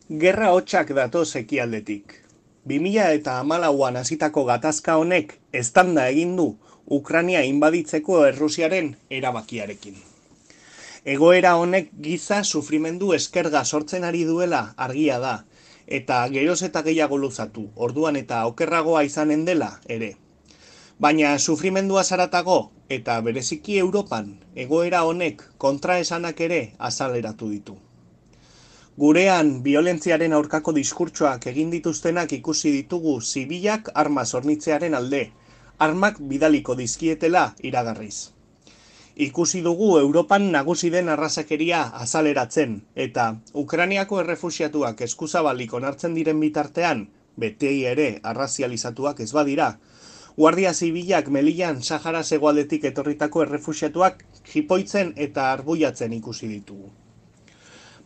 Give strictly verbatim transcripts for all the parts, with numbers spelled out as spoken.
Gerra hotsak datoz ekialdetik. bi mila hamalauan hasitako gatazka honek eztanda egin du Ukraina inbaditzeko Errusiaren erabakiarekin. Egoera honek giza sufrimendu eskerga sortzen ari duela argia da, eta geroz eta gehiago luzatu, orduan eta okerragoa izanen dela ere. Baina sufrimendua zaratago eta bereziki Europan egoera honek kontraesanak ere azaleratu ditu. Gurean biolentziaren aurkako diskurtsoak egin dituztenak ikusi ditugu zibilak arma hornitzearen alde, armak bidaliko dizkietela iragarriz. Ikusi dugu Europan nagusi den arrazakeria azaleratzen, eta Ukrainiako errefuxiatuak eskuzabalik onartzen diren bitartean, betei ere arrazializatuak ez badira, Guardia Zibilak Melian Sahara hegoaldetik etorritako errefuxiatuak jipoitzen eta arbuiatzen ikusi ditugu.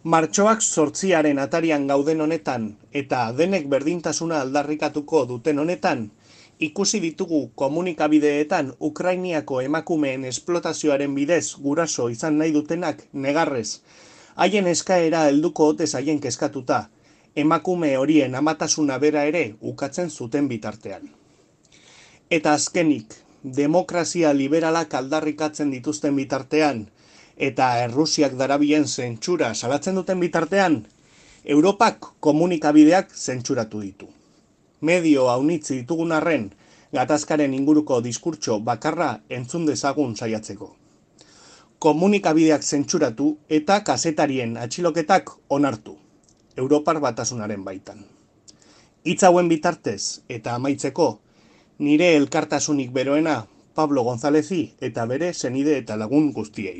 Martxoak zortziaren atarian gauden honetan eta denek berdintasuna aldarrikatuko duten honetan, ikusi ditugu komunikabideetan Ukrainiako emakumeen esplotazioaren bidez guraso izan nahi dutenak negarrez, haien eskaera helduko ote zaien kezkatuta, emakume horien amatasuna bera ere ukatzen zuten bitartean. Eta azkenik, demokrazia liberalak aldarrikatzen dituzten bitartean, eta Errusiak darabien zentsura salatzen duten bitartean, Europak komunikabideak zentsuratu ditu. Medio haunitzi ditugun arren, gatazkaren inguruko diskurtso bakarra entzun dezagun saiatzeko. Komunikabideak zentsuratu eta kazetarien atxiloketak onartu, Europar Batasunaren baitan. Hitz hauen bitartez eta amaitzeko, nire elkartasunik beroena Pablo Gonzálezi eta bere senide eta lagun guztiei.